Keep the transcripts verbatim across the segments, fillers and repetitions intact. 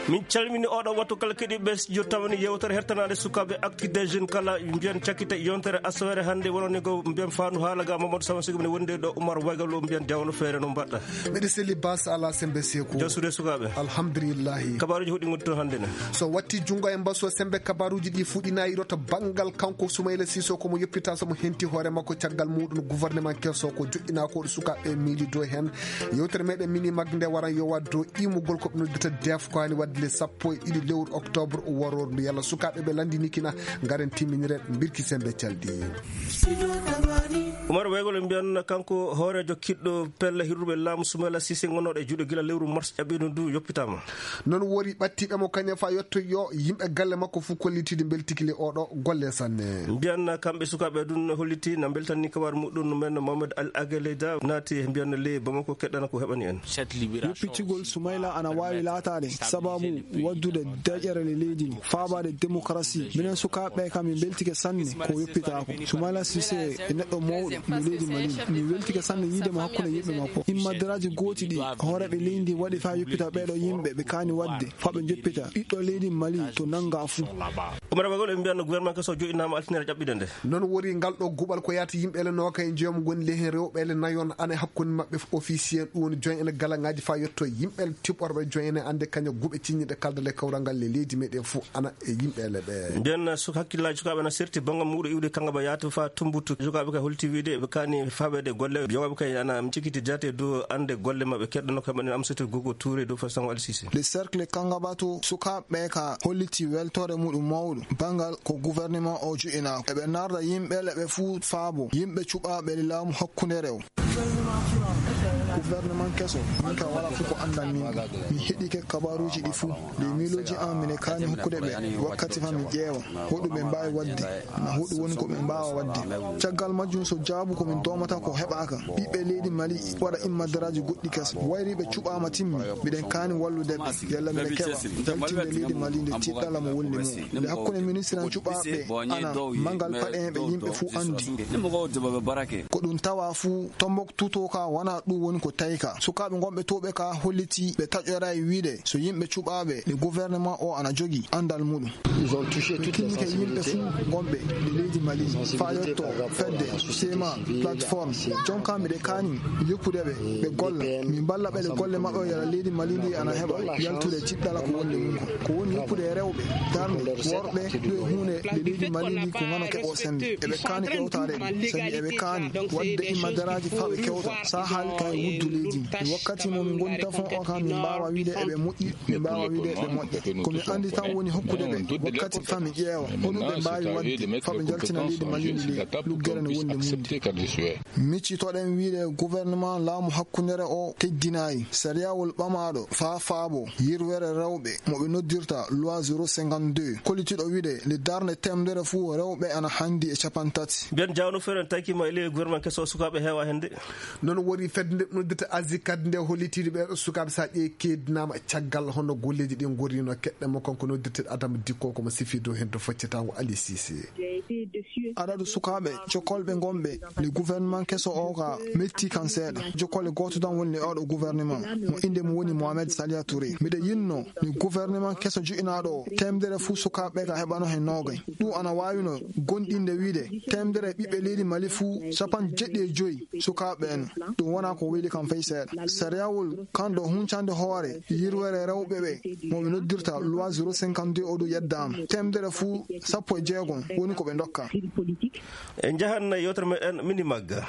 Min calmini oɗo wattu kala keɗiɓe studio tamani yewtere hertanaade sukaaɓe Actu des Jeunes kala mbiyen cakkite yontere asawere hannde wonani ko mbiyen faandu haala ga Mamadou Sama Sigo mine wonde ɗo Oumar Waygal o mbiyen dewno feere no mbaɗɗa. Miɗo seli bas ala sembe seku. Jasude sukaaɓe. Alhamdulillahi. Kabaruji hoɗi ngonti toon hannde ne. So watti junngo e mbaso sembe kabaruji ɗi fuɗɗinayiro to banngal kanko Soumaïla Cissé ko mo yoppita so mo henti hoore makko caggal muɗum gouvernement keso ko joɗɗina ko sukaaɓe miili dow heen. Yewtere meɗen mini mag nde waran yo waddo imugol ko ɓe noddata def ko hani wadde le sappo e ɗiɗi lewru octobre warordu yalla sukaaɓe ɓe landini kina ngaren timminire mbirki sembe calɗi. Umar Weygol en mbiyan kanko hoorejo kiɗɗo pelle hirruɓe laamu Sumayla Sise gonnoɗo e juuɗe gila lewru mars ƴaɓɓino ndu yoppitama. Non wori ɓattiɓe mo kañum fa yetto yo yimɓe galle makko fof kollitide mbeltikili oɗo golle sanne. Mbiyan kamɓe sukaaɓe ɗum holliti na mbeltanni kabar muɗum men Mohamed Al Ageleda naati mbiyan le Bamako keɗɗana ko heɓani en. Yoppitugol Sumayla ana waawi laataade sababu waddude daƴere le leydi ndi, faabaade démocratie. Minen sukaaɓe kam mi mbeltike sanne ko yoppitaako. Sumayla Sise e neɗɗo mawɗo no leydi Mali. Mi weltike sanne yiide mo hakkunde yimɓe makko. Immaderaaji gooti ɗi hooreeɓe leydi ndi waɗi faa yoppita ɓeeɗo yimɓe ɓe kaani waɗde faa ɓe njoppita ɓiɗɗo leydi Mali to nannga fuu. Umar Bagol en mbiyan no gouvernement keso joɗɗinaama altine rajab ɗiɗo nde. Non wori ngal ɗo guɓal ko yaata yimɓe ele nooka e jeegom ngoni lehen rewɓe ele nayon ana hakkunde maɓɓe officier ɗum woni join ene galaŋaaji faa yetto yimɓe ele tiɓɓorɓe join ene annde kaña guɓe ciññiɗe kalda le kawral ngal le leydi meɗen fof ana e yimɓe ele ɓe. Mbiyan su hakkillaaji sukaaɓe ana serti banngal muɗo iwde kanga ba yaata faa tumbutu sukaaɓe kay holti wiide ɓe kaani faaɓeede golle yowaaɓe kay ana cikiti jaate dow annde golle maɓɓe keɗɗo nokka maɗen Amsatou Gogo Touré dow fasango Alsisi. Le cercle Kangaba to sukaaɓe ka holliti weltoore muɗum mawɗo banngal ko gouvernement o juɗinaako. Eɓe narda yimɓe le ɓe fuu faabo yimɓe cuɓaaɓe laamu hakkunde rew. Gouvernement keso, min ka wala fof ko anndan min ɗum. Mi heɗike kabaruuji ɗi fof. Nde miilooji an mine kaani hokkude ɓe wakkati fa mi ƴeewa hoɗum ɓe mbaawi waɗde, na hoɗum woni ko ɓe mbaawa waɗde. Caggal majjum so jaabu ko min doomata ko heɓaaka. Ɓiɓɓe leydi Mali waɗa immadaraaji goɗɗi kese. Wayri ɓe cuɓaama timmi, miɗen kaani wallude ɓe. Yalla miɗen keɓa yaltinde leydi Mali nde tiɗɗala mo wonni mum. Nde hakkunde ministre en cuɓaaɓe ana mangal paɗe en ɓe yimɓe fuu anndi. Ko ɗum tawa fuu Tombouctou to ka wona ɗum woni ko tawi ka. Sukaaɓe ngonɓe to ɓe ka holliti ɓe taƴoray wiide so yimɓe cuɓaaɓe ɗe gouvernement o ana jogi anndal muɗum. Ɓe kinnike yimɓe fuu ngonɓe ɗe leydi Mali faa yetto fedde sema plateforme. Jonka miɗe kaani yoppude ɓe ɓe golla. Min mballa ɓe ɗe golle maɓɓe o yala leydi Mali ndi ana heɓa yaltude tiɗɗala ko wonni mum ko. Ko woni yoppude e rewɓe, darnde, worɓe, ɗum e huunde nde leydi Mali ndi ko ngano keɓo semmbe. Eɓe kaani ƴewtaade ɗum, sabi eɓe kaani waɗde immadaraaji faa ɓe kewta. Sahaali ka e wuddu leydi ndi. Wakkati mo min ngoni tafon o kam min mbaawa wiide eɓe moƴƴi, min mbaawa wiide eɓe moƴƴa. Ko mi anndi tan woni hokkude ɓe wakkati faa mi ƴeewa hoɗum ɓe mbaawi waɗde faa ɓe njaltina leydi Mali ndi ley luggere nde wonde mum ndi. Miccitoɗen wiide gouvernement laamu hakkundere o teddinayi sariyawol ɓamaaɗo faa faabo yirwere rewɓe mo ɓe noddirta loi zéro cinquante-deux. Kollitiiɗo wiide nde darnde teemdere fuu rewɓe ana hanndi e capantati. Mbiyan jawno feere en taykima e ley gouvernement keso sukaaɓe heewa hende. Non woni fedde nde noddirta Azikat nde hollitiiɗo ɓeeɗo sukaaɓe so a ƴeewi keedinaama caggal hono golleeji ɗi ngorrino keɗɗe mo kanko noddirteeɗo Adama Dikko ko mo sifi dow heen to foccetaango Ali Sise. Adadu sukaaɓe jokolɓe ngonɓe le gouvernement keso o ka metti kan seeɗa. Jokolle gooto tan woni le oɗo gouvernement mo innde mum woni Mohamed Salia Touré. Miɗo yinno le gouvernement keso joƴinaaɗo o teemdere fuu sukaaɓe ka heɓano heen noogay. Ɗum ana waawino gonɗinde wiide teemdere ɓiɓɓe leydi Mali fuu capanɗe jeɗɗi e joyi sukaaɓe en. Ɗum wonaa ko weli kam fay seeɗa. Sariyawol kan ɗo huncande hoore yirwere rewɓe ɓe mo ɓe noddirta loi zéro cinquante-deux o ɗum yeddaama. Teemdere fuu sappo e jeegom woni ko ɓe ndokka. En njahan yewtere meɗen mini magga.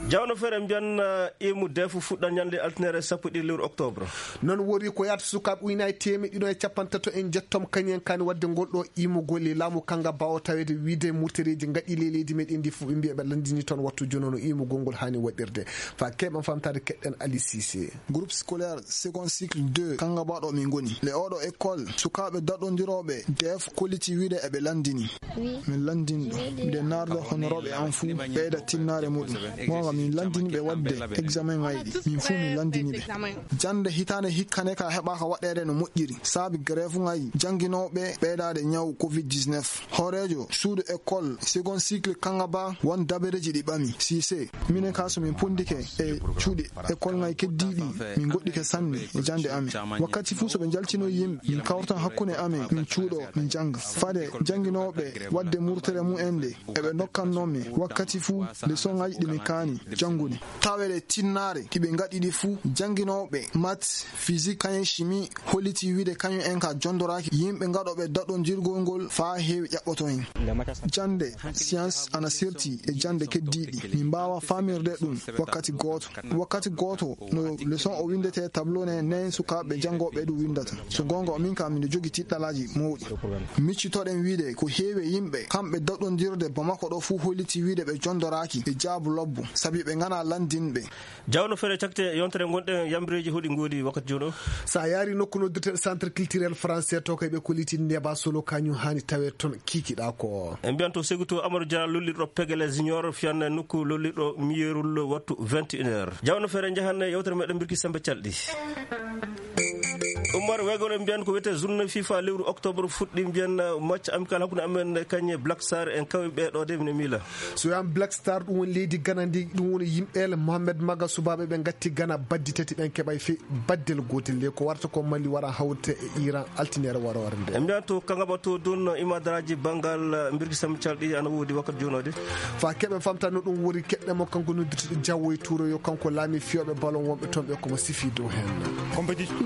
Jawno feere mbiyan imu defu fuɗɗan ñande altinere sappo e ɗiɗi lewru octobre. Non wori ko yaata sukaaɓe ujunaaji teemeɗɗe ɗiɗo e capanɗe tato en jettom kañum en kaani waɗde ngol ɗo imugol e laamu kanga bawo taweede wiide murtereeji ngaɗi ley leydi meɗen ndi fof ɓe mbiya ɓe lanndini toon wattu jonono imugol ngol haani waɗirde. Fa keɓen famtaade keɗɗen Ali Sise. Groupe scolaire second cycle deux kanga baɗo min ngoni le oɗo école sukaaɓe daɗondirooɓe def kolliti wiide eɓe lanndini. Min lanndinɗo miɗen naardo honorooɓe an fuu ɓeyda Innaare muɗum. Goonga, min lanndini ɓe waɗde examen ŋayɗi. Min fuu min lanndini ɓe. Jannde hitaande hikka ne ka heɓaaka waɗeede no moƴƴiri. Saabi grève ŋay jannginooɓe ɓeydaade ñaw covid dix-neuf. Hooreejo suudu école second cycle Kangaba won dabareeji ɗi ɓami. Sise, minen ka so min ponndike e cuuɗi école ŋay keddiiɗi, min ngoɗɗike sanne e jannde amen. Wakkati fuu so ɓe njaltino yimɓe, min kawrata hakkunde amen, min cuuɗo, min jannga. Fade jannginooɓe waɗde murtere mumen nde, eɓe ndokkannoo min wakkati fuu leçon ŋaaji ɗi min kaani janngude. Taweede tinnaare ɗi ɓe ngaɗi ɗi fuu, jannginooɓe maths, physique, kañum chimie, holliti wiide kañum en ka jonndoraaki yimɓe ngaɗooɓe daɗondirgol ngol faa heewi ƴaɓɓoto en. Jannde science ana serti e jannde keddiiɗi. Min mbaawa faamirde ɗum wakkati gooto. Wakkati gooto no leçon o winndetee tableau ne, nen sukaaɓe janngooɓe ɗum winndata. So goonga, min kam miɗo jogii tiɗɗalaaji mawɗi. Miccitoɗen wiide ko heewi e yimɓe kamɓe daɗondirde Bamako ɗo fuu holliti wiide ɓe jonndoraaki e jaabu lobbo, sabi ɓe nganaa lanndinɓe. Jawno feere cakte yontere ngonɗen yambireeji hoɗi ngoodi wakkati jooni o. So a yaari nokku noddirten centre culturel français to kay ɓe kolliti Neba Solo kañum haani tawe toon kiikiɗa ko. En mbiyan to Seguto Amadou Dia lollirɗo Pegele Junior fiyan nokku lollirɗo Miyerul wattu vingt et une heures. Jawno feere njahan yewtere meɗen mbirki sembe calɗi. Umar Wegol en mbiyan ko wiyetee journée fifa lewru octobre fuɗɗi mbiyan match amical hakkunde amen kañe Black Star en kawi ɓe ɗo de mine miila. So wiyaama Black Star, ɗum woni leydi Gana ndi, ɗum woni yimɓe ele Mohamed Maga, subaaɓe ɓe ngatti Gana baddi tati, ɓen keɓay fe baddel gootel. Nde ko warata ko Mali wara hawrite e Iran altinere waroore nde. En mbiyan to Kangaba to ɗon imadaraaji banngal mbirki sembe calɗi ana woodi wakkati jooni o de. Fa keɓe famta no ɗum wori keɗɗe mo kanko noddirtuɗo Jawo e Tuuro yo kanko laami fiyooɓe balon wonɓe toon ɓe komo sifi dow heen.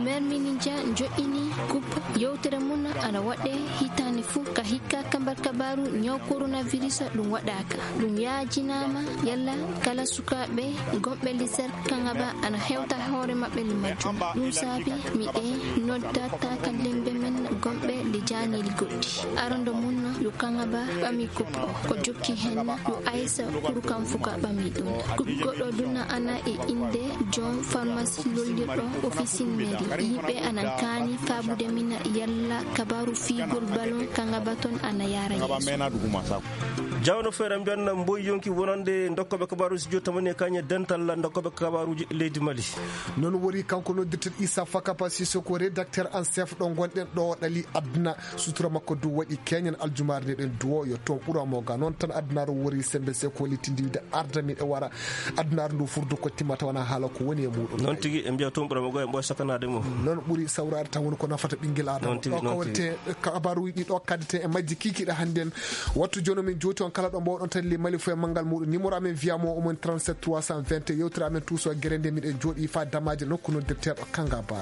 Mermini Dia joɗɗini coupe yewtere mum ana waɗe hitaande fof ka hikka kambar kabaru ñaw coronavirus ɗum waɗaaka. Ɗum yaajinaama yalla kala sukaaɓe gonɓe Lisar Kangaba ana hewta hoore maɓɓe le majjum. Ɗum saabi miɗe nodda taakalembe men gonɓe le jaaneeli goɗɗi. Arondo mum yo Kangaba ɓami coupe o. Ko jokki heen yo Aisa Kurukan Fuka ɓami ɗum. Coupe goɗɗo duna ana e innde joom pharmacie lollirɗo officine mairie. Yimɓe ana kaani faabude min yalla kabaru fiigol ballon Kangaba toon ana yaara yeeso. Jawno feere mbiyan mboy yonki wonande ndokkoɓe kabaruji jotamani e kañe dental ndokkoɓe kabaruji leydi Mali. Noon wori kanko noddirten Issa Fakapa Sissoko, rédacteur en chef ɗo ngonɗen ɗo ɗali aduna. Sutura makko du waɗi keñen aljumaare nde ɗen duwo yo toon ɓura mo ga. Noon tan adunaaru wori sembe se ko littindi wiide arda miɗo wara. Adunaaru ndu furdu ko timmata wona haala ko woni e muɗum. Noon tigi e mbiya toon ɓura mo ga e mboy sakanaade mo. Noon ɓuri sawraade tan woni ko nafata ɓinngel Adama. Noon tigi, ɗo noon tigi. Kawrete kabaruuji ɗi ɗo kaddete e majji kiikiiɗe hannden. Wattu jooni min jooti on kala ɗo mbawɗon tan le Mali fof e manngal muɗum. Numéro amen wiya mo omon trente-sept trois cent vingt. Yewtere amen tuuso gere nde miɗen jooɗi fa damaaje nokku noddirteeɗo Kangaba.